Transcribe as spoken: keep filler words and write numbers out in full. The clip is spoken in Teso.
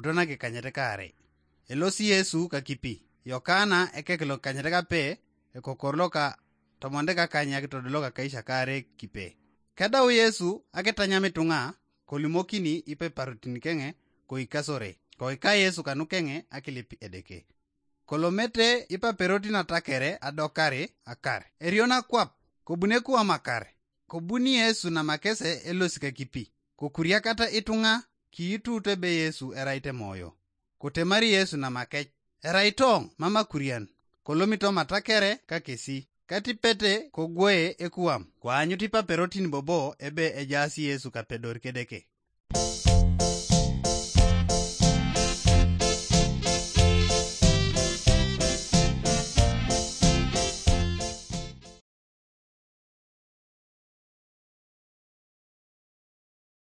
Kutonaki kanyit kaare. Elosi Yesu kakipi. Yokana ekek lokanyit kape, ekokor loka tomon deka kanyak todolo kakaisha kaare kipe. Kedau Yesu akitanyam itunga, kolimokini ipeparotin kenge koikasore. Koika Yesu kanu kenge akilip Edeke. Kolomete ipaperotin atakere adokari akar. Erion akwap, kobune kuam akar. Kobuni Yesu namakese elosi kakipi. Kokuriakata itunga kiitut ebe Yesu erait emoyo. Kotemari Yesu namakec, erai tong mama kurian. Kolomito matakere kakesi. Katipete kogwoe ekuam, koanyut ipaperotin bobo ebe ejaas Yesu kapedor kedeke.